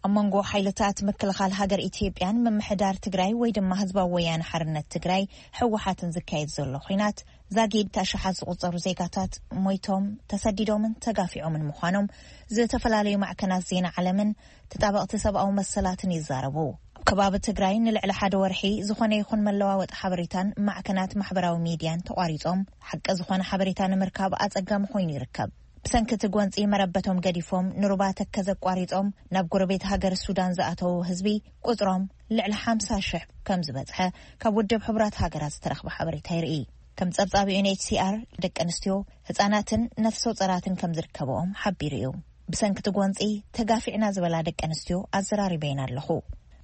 ኣብ መንጎ ሓይልታት ምክልኻል ሃገር ኢትዮጵያን ምምሕዳር ትግራይ ወይ ድማ ህዝባዊ ወያነ ሓርነት ትግራይ፣ ህወሓትን ዝካየድ ዘሎ ኹናት፣ ዛጊድ ኣሽሓት ዝቑጸሩ ዜጋታት ሞይቶም፣ ተሰዲዶምን ተጋፊዖምን ምዃኖም ዝተፈላለዩ ማዕከናት ዜና ዓለምን ተጣበቕቲ ሰብኣዊ መሰላትን ይዛረቡ። ኣብ ከባቢ ትግራይ ንልዕሊ ሓደ ወርሒ ዝኾነ ይኹን መለዋወጢ ሓበሬታን ማዕከናት ማሕበራዊ ሚድያን ተቋሪጾም፣ ሓቂ ዝኾነ ሓበሬታ ንምርካብ ኣጸጋሚ ኮይኑ ይርከብ። ብሰንኪ እቲ ጎንጺ መረበቶም ገዲፎም ንሩባ ተከዘ ኣቋሪጾም ናብ ጎረቤት ሃገር ሱዳን ዝኣተዉ ህዝቢ ቁጽሮም ልዕሊ ሓምሳ ሽሕ ከም ዝበጽሐ ካብ ውድብ ሕቡራት ሃገራት ዝተረኽበ ሓበሬታ የርኢ። ከም ጸብጻብ ዩ ኤን ኤች ሲ ኣር፣ ደቂ ኣንስትዮ፣ ህጻናትን ነፍሰ ጾራትን ከም ዝርከብኦም ሓቢሩ እዩ። ብሰንኪ እቲ ጎንጺ ተጋፊዕና ዝበላ ደቂ ኣንስትዮ ኣዘራሪበየን ኣለኹ።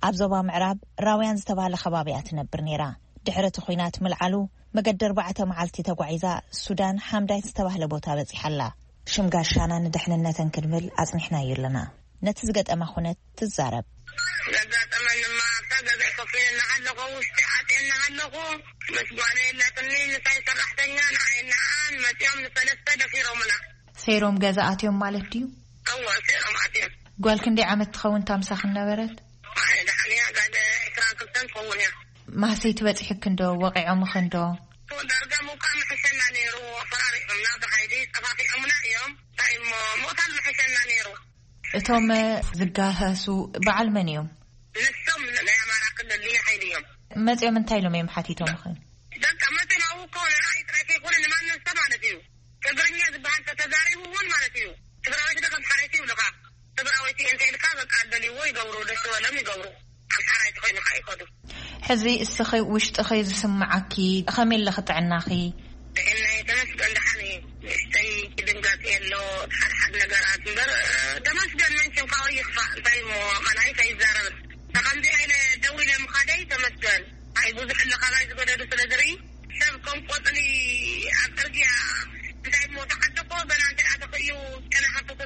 ኣብ ዞባ ምዕራብ ራውያን ዝተባህለ ከባቢ እያ ትነብር ነይራ። ድሕሪ እቲ ኹናት ምልዓሉ፣ መገዲ ኣርባዕተ መዓልቲ ተጓዒዛ ሱዳን ሓምዳይት ዝተባህለ ቦታ በጺሓ ኣላ። ሽም ጋሻና ንድሕንነተን ክንብል ኣጽኒሕናዮ ኣለና። ነቲ ዝገጠማ ኩነት ትዛረብ። ዘጋጠመንማ ኣብታ ገዛ ከፊለ እናሃለኹ፣ ውሽጢ ኣትየ እናሃለኹ፣ ምስ ጓለ የላትኒ፣ ንሳይ ሰራሕተኛ፣ ንዓይ ንዓን መፂኦም ንሰለስተ ደፊሮምና። ሰይሮም ገዛ ኣትዮም ማለት ድዩ? እወ፣ ሰይሮም ኣትዮም። ጓል ክንደይ ዓመት ትኸውን እታ ምሳኽን ነበረት? ኣይ፣ ደሓን እያ፣ ጋል ዕስራን ክልተን ትኸውን እያ። ማህሰይቲ በፂሑክን ዶ? ወቒዖምኽን ዶ? ዳርጋ ምውቃዕ ምሕሸና ነይሩ፣ ኣፈራሪዖምና ብሓይሊ፣ ጠፋፊዖምና እዮም። እንታይ እሞ፣ ምቕታል ምሕሸና ነይሩ። እቶም ዝጋሃሱ በዓል መን እዮም? ንሶም ናይ ኣማራ ክልል ልዩ ሓይሊ እዮም። መፂኦም እንታይ ኢሎም እዮም ሓቲቶምኽን? በቃ መፂኦም ኣብኡ እኮ ንዓይ ጥራይ ከይኮነ ንማንም ሰብ ማለት እዩ። ትግርኛ ዝበሃል ተተዛሪቡ እውን ማለት እዩ። ትግራዊት ዶ ከም ሓረይቲ ይብሉኻ። ትግራዊት እንተ ኢልካ በቃ ደልይዎ ይገብሩ፣ ደስ ዝበሎም ይገብሩ። ኣምሓራይ ተኾይኑ ከዓ ይኸዱ። ሕዚ እስኺ ውሽጥኺ ዝስምዓኪ ከመይ ኣለኺ ጥዕናኺ? ጥዕናይ ተመስገን ደሓን እዩ። ንእሽተይ ድንጋጽ የሎ፣ ሓደ ሓደ ነገራት እምበር፣ እ፣ ተመስገን። መንሽም ካብኡ ይኽፋእ፣ እንታይ እሞ፣ ካልኣይ ከይዛረብ። ከምዚ ኢለ ደው ኢለ ምኻደይ ተመስገን። ኣይ፣ ብዙሕ ኣሎ ካባይ ዝገደዱ ስለ ዝርኢ፣ ሰብ ከም ቆጽሊ ኣብ ጽርግያ፣ እንታይ እሞ፣ ተዓደኮ፣ በላ እንታይ ኣተኽእዩ፣ ጨና ሓተኩ፣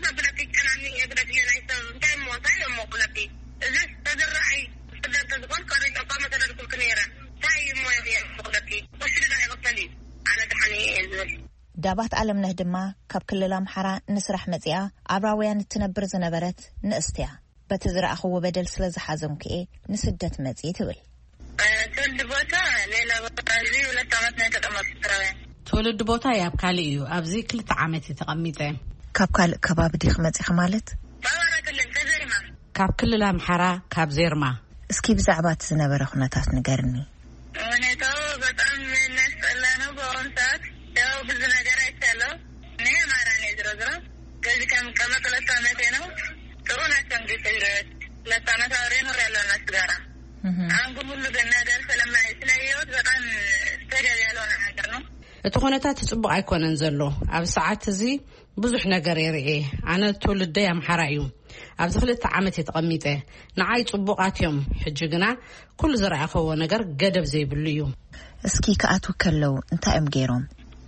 ዘብለኪ ጨናኒ፣ እየ ግደፍዮ፣ ናይ ሰብ፣ እንታይ እሞ፣ እንታይ እሞ፣ ክብለኪ። እዚ ተዝረኣይ፣ ስደት ተዝኾን፣ ቀሪጸ እኳ መተደልኩልኪ ነይረ። እንታይ እሞ፣ እየ ክብለኪ። ወሽሪ ዳ ይቕተል እዩ። ኣነ ደሓን እየ፣ እየ ዝብል። ዳባት ኣለምነህ ድማ ካብ ክልል ኣምሓራ ንስራሕ መጺኣ ኣብ ራውያን እትነብር ዝነበረት ንእስቲ እያ። በቲ ዝረኣኽዎ በደል ስለ ዝሓዘንኩ እየ ንስደት መጺእ ትብል። ትውልድ ቦታ ሌላ ቦታ፣ እዚ ሁለት ዓመት ነው የተቀመጥኩት ራውያን። ትውልድ ቦታ ኣብ ካልእ እዩ። ኣብዚ ክልተ ዓመት እየ ተቐሚጠ። ካብ ካልእ ከባቢ ዲኺ መጺኺ ማለት? በአማራ ክልል ከዘርማ። ካብ ክልል ኣምሓራ ካብ ዜርማ። እስኪ ብዛዕባ እቲ ዝነበረ ኩነታት ንገርኒ። ሁኔታው በጣም የሚያስጠላ ነው። በአሁኑ ሰዓት ያው ብዙ ነገር አይቻለሁ። እኔ አማራ ነኝ። ዝሮ ዝሮ ከዚህ ከምቀመጥ ሁለት ዓመቴ ነው። ጥሩ ናቸው እንግዲህ ትግሬዎች። ሁለት ዓመት አብሬ ኖሬያለሁ እነሱ ጋራ። እህ። አሁን ግን ሁሉ ግን ነገር ስለማይ-፣ ስላየሁት በጣም ተገቢ ያልሆነ ነገር ነው። እቲ ኩነታት ጽቡቕ ኣይኮነን ዘሎ። ኣብ ሰዓት እዚ ብዙሕ ነገር የርኢ። ኣነ ትውልደይ ኣምሓራ እዩ። ኣብዚ ክልተ ዓመት እየ ተቐሚጠ። ንዓይ ጽቡቓት እዮም። ሕጂ ግና ኩሉ ዝረኣኸዎ ነገር ገደብ ዘይብሉ እዩ። እስኪ ክኣትዉ ከለዉ እንታይ እዮም ገይሮም?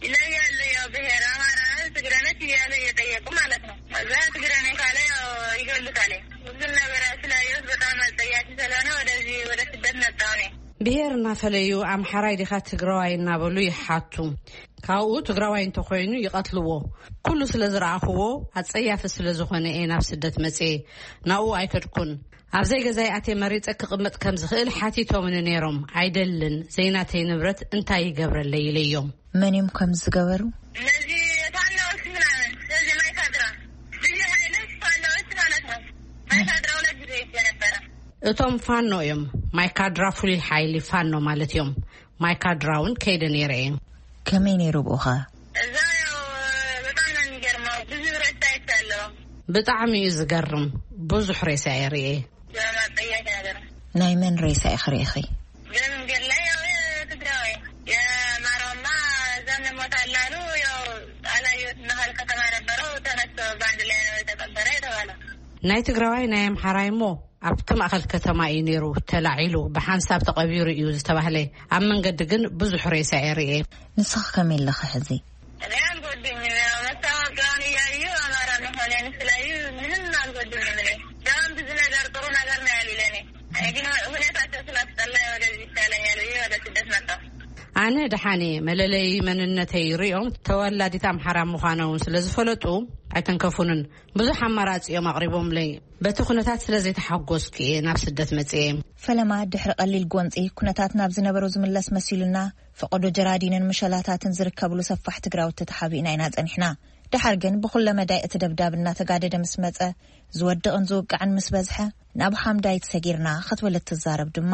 ይለያሉ። ያው ብሔር አማራ፣ ትግረነች እያሉ እየጠየቁ ማለት ነው። ከዛ ትግረነ ካለ ያው ይገሉታል። ብዙ ነገር ስላየሁት በጣም አጸያፊ ስለሆነ ወደዚህ ወደ ስደት መጣሁ እኔ። ብሔር እናፈለዩ ኣምሓራይ ዲኻ ትግራዋይ እናበሉ ይሓቱ። ካብኡ ትግራዋይ እንተኾይኑ ይቐትልዎ። ኩሉ ስለ ዝረኣኽዎ ኣጸያፊ ስለ ዝኾነ እየ ናብ ስደት መጽኤ። ናብኡ ኣይከድኩን። ኣብ ዘይገዛይ ኣትየ መሪጸ ክቕመጥ ከም ዝኽእል ሓቲቶምኒ ነይሮም። ኣይደልን፣ ዘይናተይ ንብረት እንታይ ይገብረለይ ኢለዮም። መን እዮም ከም ዝገበሩ? እነዚህ ፋኖዎች ምናምን፣ እነዚህ ማይካድራ፣ ልዩ ኃይሎች ፋኖዎች ማለት ነው። ማይካድራ ሁለት ጊዜ ሄጄ ነበረ። እቶም ፋኖ እዮም። ማይካድራ ፍሉይ ሓይሊ ፋኖ ማለት እዮም። ማይካድራ እውን ከይደ ነይረ እየ። ከመይ ነይሩ ብኡኻ? እዛ ያው በጣም ነው የሚገርመው። ብዙ ሬሳ አይቻለሁ። ብጣዕሚ እዩ ዝገርም። ብዙሕ ሬሳ እየ ርእየ። በጣም አጸያፊ ነገር ነው። ናይ መን ሬሳ ኢኺ ርኢኺ? በመንገድ ላይ ያው የትግራዋይ የአማራውማ እዛ እንሞታለን አሉ። ያው አላየሁትም። መሀል ከተማ ነበረው። ተነስቶ በአንድ ላይ ነው የተቀበረ የተባለው። ናይ ትግራዋይ ናይ ኣምሓራይ እሞ ኣብቲ ማእኸል ከተማ እዩ ነይሩ ተላዒሉ፣ ብሓንሳብ ተቐቢሩ እዩ ዝተባህለ። ኣብ መንገዲ ግን ብዙሕ ሬሳ እየ ርእየ። ንስኺ ከመይ ኣለኺ ሕዚ? እኔ አልጎድኝም። ያው መታወቂያውን እያዩ አማራ መሆኔን ስላዩ ምንም አልጎድኝም። እኔ በጣም ብዙ ነገር ጥሩ ነገር ነው ያሉ ለእኔ። እኔ ግን ሁኔታቸው ስላስጠላኝ ወደዚህ ይሻለኛል ብዬ ወደ ስደት መጣሁ። ኣነ ደሓን እየ። መለለዪ መንነተይ ርእዮም ተወላዲት ኣምሓራ ምዃነ እውን ስለ ዝፈለጡ ኣይተንከፉንን። ብዙሕ ኣማራጺ እዮም ኣቕሪቦምለይ። በቲ ኩነታት ስለ ዘይተሓጎስኩ እየ ናብ ስደት መጽየ። ፈለማ ድሕሪ ቀሊል ጎንጺ ኩነታት ናብ ዝነበሮ ዝምለስ መሲሉና፣ ፈቐዶ ጀራዲንን ምሸላታትን ዝርከብሉ ሰፋሕ ትግራውቲ ተሓቢእና ኢና ጸኒሕና። ደሓር ግን ብኹለ መዳይ እቲ ደብዳብ እናተጋደደ ምስ መጸ፣ ዝወድቕን ዝውቃዕን ምስ በዝሐ፣ ናብ ሓምዳይት ሰጊርና ክትብል እትዛረብ ድማ፣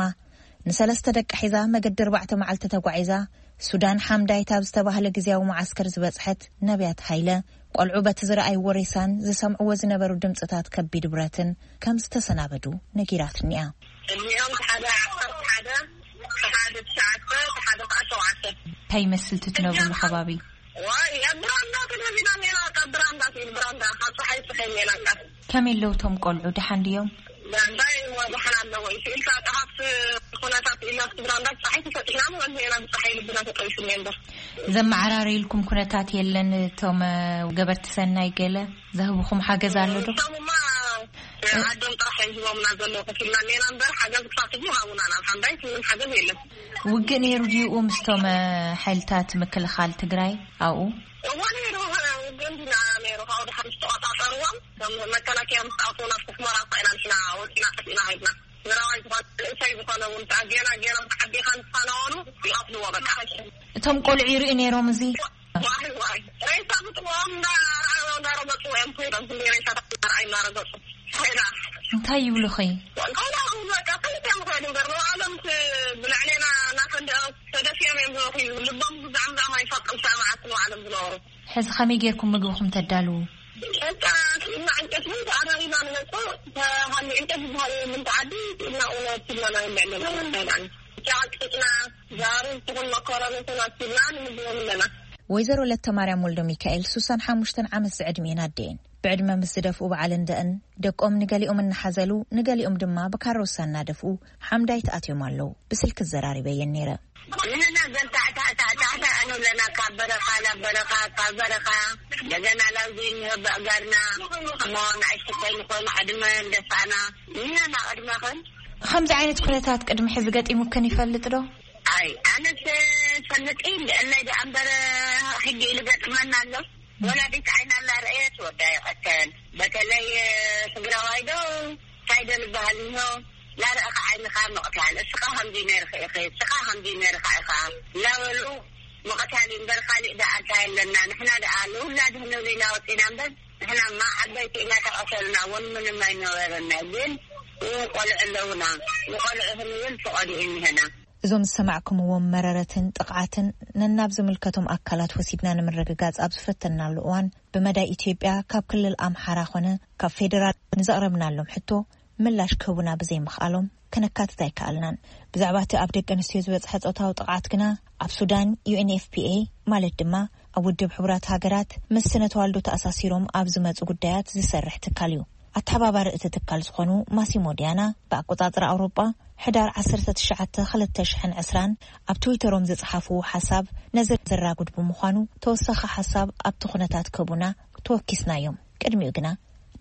ንሰለስተ ደቂ ሒዛ መገዲ ኣርባዕተ መዓልቲ ተጓዒዛ፣ ሱዳን ሓምዳይት ኣብ ዝተባህለ ግዝያዊ መዓስከር ዝበጽሐት ነብያት ሃይለ፣ ቆልዑ በቲ ዝረኣይዎ ሬሳን ዝሰምዕዎ ዝነበሩ ድምጽታት ከቢድ ብረትን ከም ዝተሰናበዱ ነጊራትኒ እያ። እድሜኦም ሓደ ዓሰርተ ሓደ፣ ሓደ ትሽዓተ፣ ሓደ ከዓ ሸውዓተ። እንታይ ይመስል እቲ ትነብርሉ ከባቢ? ዋይ፣ ኣብ ብራንዳ ተደፊና ኔራ፣ ካብ ብራንዳ፣ ብራንዳ፣ ካብ ፀሓይ ፀሓይ ኔራ። ከመይ ኣለዉ እቶም ቆልዑ? ደሓን ድዮም? ዳንዳይ ወድሓን ኣለዎ። ኢልካ ጠሃት ኩነታት ኢልና ብራንዳ ፀሓይ ተፈጢሕና፣ ንወንሄና ብፀሓይ ልብና ተጠቢሱ እምበር። ዘመዓራረይልኩም ኩነታት የለን? እቶም፣ እ፣ ገበርቲ ሰናይ ገለ ዘህብኹም ሓገዝ ኣሎ ዶ? እሶምማ ዓዶም ጥራሕ እዮም ሂቦምና ዘለዉ። ከፊልና ኔና እምበር ሓገዝ ክሳብ ሕጂ ሃቡና ናብ ሓምዳይት ምንም ሓገዝ የለን። ውግእ ነይሩ ድዩ ምስቶም ሓይልታት ምክልኻል ትግራይ ኣብኡ? እዎ ነይሩ። ውግእ እንዲና ነይሩ ካብኡ ድሓር ዝተቆፃፀርዎም እቶም መከላከያ ምስ ኣውፅኡ ናብ ስሕመራ ኮይና ንሕና ወፂና ጠፊእና ሃይድና። ትግራዋይ ዝኾነ ንእሰይ ዝኾነ እውን ከዓ ጌና ጌና ዓዲኻ ንፋናወሉ ይቐትልዎ በቃ። እቶም ቆልዑ ይርእዩ ነይሮም እዚ? ዋይ ዋይ ሬሳ ብጥዎም እንዳረገፁ እዮም ኮይኖም ክንደ ሬሳታት እናረኣዩ እናረገፁ ኮይና እንታይ ይብሉኺ? እንታይና በቃ ፈሊጥ እዮም ኮይኑ እምበር ንባዕሎም ብልዕሌና እናፈንደ ተደፊኦም እዮም ዝበኹ። ልቦም ብዛዕምዛም ኣይፈቅም ሰማዓት ንባዕሎም ዝነበሩ። ሕዚ ከመይ ጌርኩም ምግብኹም ተዳልዉ? በቃ ስኢልና ዕንጨት እውን ተኣራሪና ንመፅእ። ተሃሊ ዕንጨት ዝበሃል የብሉን ተዓዲ። ስኢልና እውን ኣብቲልና ናይ ብዕለና ንበልዓን ጫቕጭቅና ዛሩ ትኹን መኮረኒ ተናቲብና ንምግቦም ኣለና። ወይዘሮ ለተማርያም ወልደ ሚካኤል ሱሳን ሓሙሽተን ዓመት ዝዕድሜን ኣደየን ብዕድመ ምስ ዝደፍኡ በዓል እንደእን ደቆም ንገሊኦም እናሓዘሉ ንገሊኦም ድማ ብካሮሳ እናደፍኡ ሓምዳይት ኣትዮም ኣለዉ። ብስልኪ ዘራሪበየን ነይረ። ንሕና ዘንታዕታዕታዕታዕታ ንብለና ካብ በረኻ ናብ በረኻ ካብ በረኻ እንደገና ላውዚ እንህብ ኣእጋርና እሞ ንኣሽቱ ኮይንኾኑ ዕድመ እንደፋና ንሕና ቅድመኽን ከምዚ ዓይነት ኩነታት ቅድሚ ሕዚ ገጢሙክን ይፈልጥ ዶ? ኣይ ኣነስ ፈልጥ እንደ እላይ ደኣ እምበር ሕጂ ኢሉ ገጥመና ኣሎ። ወላዲት ዓይና እናረኣየት ወዳ ይቐተል። በተለይ ትግራዋይ ዶ እንታይ ዶ ዝበሃል እንሆ ላረእኻ ዓይንኻ ምቕታል እስኻ ከምዚ ነርካ ኢኺ እስኻ ከምዚ ነርካ ኢኻ እናበሉ ምቕታል እዩ እምበር ካሊእ ደኣ እንታይ ኣለና። ንሕና ደኣ ንውላድ ክንብል ኢና ወፂና እምበር ንሕናማ ዓበይቲ ኢና ተቐተልና እውን ምንም ኣይነበረና። ግን እውን ቆልዑ ኣለውና ንቆልዑ ክንብል ፍቐዱ እዩ እኒሀና። እዞም ዝሰማዕኩምዎም መረረትን ጥቕዓትን ነናብ ዝምልከቶም ኣካላት ወሲድና ንምርግጋጽ ኣብ ዝፈተንናሉ እዋን፣ ብመዳይ ኢትዮጵያ ካብ ክልል ኣምሓራ ኾነ ካብ ፌደራል ንዘቕረብናሎም ሕቶ ምላሽ ክህቡና ብዘይምኽኣሎም ከነካትት ኣይከኣልናን። ብዛዕባ እቲ ኣብ ደቂ ኣንስትዮ ዝበጽሐ ጾታዊ ጥቕዓት ግና ኣብ ሱዳን ዩ ኤን ኤፍ ፒ ኤ ማለት ድማ ኣብ ውድብ ሕቡራት ሃገራት ምስ ስነ ተዋልዶ ተኣሳሲሮም ኣብ ዝመጹ ጉዳያት ዝሰርሕ ትካል እዩ። ኣተሓባባሪ እቲ ትካል ዝኾኑ ማሲሞ ዲያና ብኣቆጻጽራ ኣውሮጳ ሕዳር ዓሰርተ ትሽዓተ ክልተ ሽሕን ዕስራን ኣብ ትዊተሮም ዝጸሓፍዎ ሓሳብ ነዚ ዘራጉድ ብምዃኑ ተወሳኺ ሓሳብ ኣብቲ ኩነታት ክህቡና ተወኪስናዮም። ቅድሚኡ ግና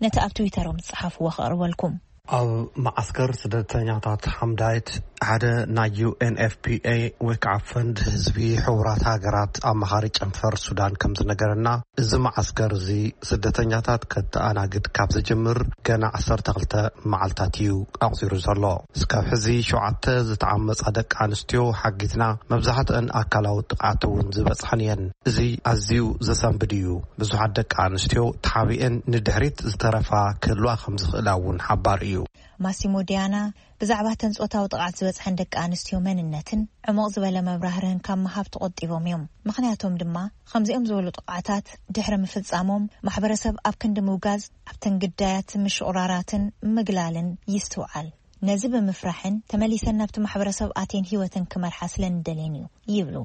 ነቲ ኣብ ትዊተሮም ዝጸሓፍዎ ከቕርበልኩም። ኣብ መዓስከር ስደተኛታት ሓምዳይት ሓደ ናይ ዩ ኤን ኤፍ ፒ ኤ ወይ ከዓ ፈንድ ህዝቢ ሕቡራት ሃገራት ኣማኻሪ ጨንፈር ሱዳን ከም ዝነገረና፣ እዚ መዓስከር እዚ ስደተኛታት ከተኣናግድ ካብ ዝጅምር ገና ዓሰርተ ክልተ መዓልታት እዩ ኣቑጺሩ ዘሎ። እስካብ ሕዚ ሸውዓተ ዝተዓመጻ ደቂ ኣንስትዮ ሓጊዝና፣ መብዛሕትአን ኣካላዊ ጥቕዓት እውን ዝበጽሐን እየን። እዚ ኣዝዩ ዘሰንብድ እዩ። ብዙሓት ደቂ ኣንስትዮ ተሓቢኤን ንድሕሪት ዝተረፋ ክህልዋ ከም ዝኽእላ እውን ሓባር እዩ። ማሲሞ ዲያና ብዛዕባ እተን ጾታዊ ጥቕዓት ዝበጽሐን ደቂ ኣንስትዮ መንነትን ዕሙቕ ዝበለ መብራህርህን ካብ ምሃብ ተቖጢቦም እዮም። ምኽንያቶም ድማ ከምዚኦም ዝበሉ ጥቕዓታት ድሕሪ ምፍጻሞም ማሕበረሰብ ኣብ ክንዲ ምውጋዝ ኣብተን ግዳያት ምሽቑራራትን ምግላልን ይስትውዓል። ነዚ ብምፍራሕን ተመሊሰን ናብቲ ማሕበረሰብ ኣትየን ህይወተን ክመርሓ ስለ እንደልየን እዩ ይብሉ።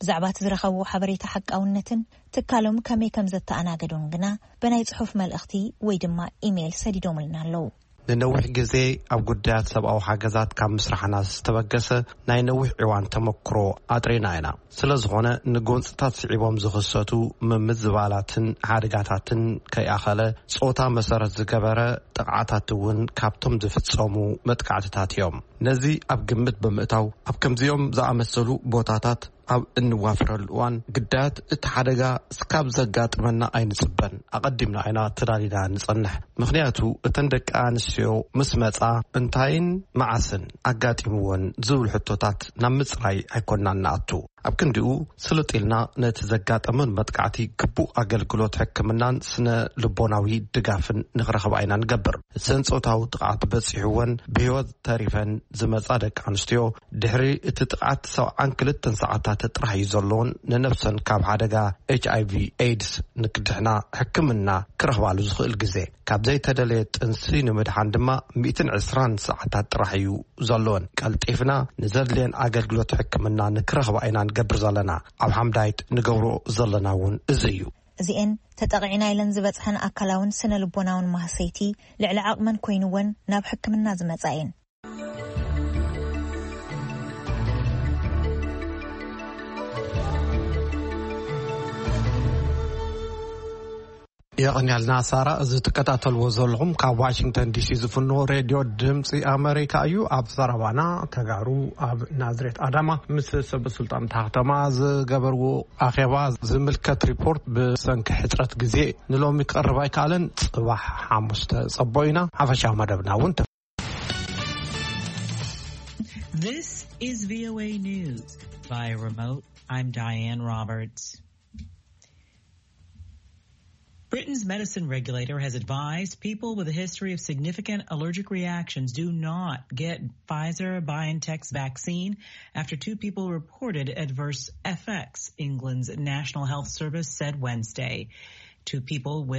ብዛዕባ እቲ ዝረኸብዎ ሓበሬታ ሓቃውነትን ትካሎም ከመይ ከም ዘተኣናገዱን ግና ብናይ ጽሑፍ መልእኽቲ ወይ ድማ ኢሜይል ሰዲዶምልና ኣለዉ። ንነዊሕ ግዜ ኣብ ጉዳያት ሰብኣዊ ሓገዛት ካብ ምስራሕና ዝተበገሰ ናይ ነዊሕ ዕዋን ተመክሮ ኣጥሪና ኢና። ስለ ዝኾነ ንጎንጽታት ስዒቦም ዝኽሰቱ ምምዝባላትን ሓደጋታትን ከይኣኸለ ጾታ መሰረት ዝገበረ ጥቕዓታት እውን ካብቶም ዝፍጸሙ መጥቃዕትታት እዮም። ነዚ ኣብ ግምት ብምእታው ኣብ ከምዚኦም ዝኣመሰሉ ቦታታት ኣብ እንዋፍረሉ እዋን ግዳያት እቲ ሓደጋ እስካብ ዘጋጥመና ኣይንጽበን። ኣቐዲምና ኢና ተዳሊና ንጸንሕ። ምኽንያቱ እተን ደቂ ኣንስትዮ ምስ መጻ እንታይን መዓስን ኣጋጢምወን ዝብል ሕቶታት ናብ ምጽራይ ኣይኮናን ንኣቱ። ኣብ ክንዲኡ ስልጥ ኢልና ነቲ ዘጋጠመን መጥቃዕቲ ግቡእ ኣገልግሎት ሕክምናን ስነ ልቦናዊ ድጋፍን ንኽረኽባ ኢና ንገብር። እዘን ጾታዊ ጥቕዓት በጺሕወን ብህይወት ተሪፈን ዝመጻ ደቂ ኣንስትዮ ድሕሪ እቲ ጥቕዓት ሰብዓን ክልተን ሰዓታት ጥራሕ እዩ ዘለዎን ንነብሰን ካብ ሓደጋ ኤች ኣይ ቪ ኤድስ ንክድሕና ሕክምና ክረኽባሉ ዝኽእል ግዜ። ካብ ዘይተደለየ ጥንሲ ንምድሓን ድማ ሚእትን ዕስራን ሰዓታት ጥራሕ እዩ ዘለወን። ቀልጢፍና ንዘድልየን ኣገልግሎት ሕክምና ንክረኽባ ኢና ንገብር ዘለና። ኣብ ሓምዳይት ንገብሮ ዘለና እውን እዚ እዩ። እዚኤን ተጠቒዕና ኢለን ዝበጽሐን ኣካላውን ስነ ልቦናውን ማህሰይቲ ልዕሊ ዓቕመን ኮይንወን ናብ ሕክምና ዝመጻ እየን። የቐንያልና ሳራ። እዚ ትከታተልዎ ዘለኹም ካብ ዋሽንግተን ዲሲ ዝፍኖ ሬድዮ ድምፂ ኣመሪካ እዩ። ኣብ ዘረባና፣ ተጋሩ ኣብ ናዝሬት ኣዳማ ምስ ሰበስልጣን እታ ከተማ ዝገበርዎ ኣኼባ ዝምልከት ሪፖርት ብሰንኪ ሕፅረት ግዜ ንሎሚ ክቐርብ ኣይከኣለን። ፅባሕ ሓሙስ ተፀቦ ኢና። ሓፈሻዊ መደብና እውን This is V O A News. By remote, I'm Diane Roberts. Britain's medicine regulator has advised people with a history of significant allergic reactions do not get Pfizer BioNTech's vaccine after two people reported adverse effects, England's National Health Service said Wednesday. Two people with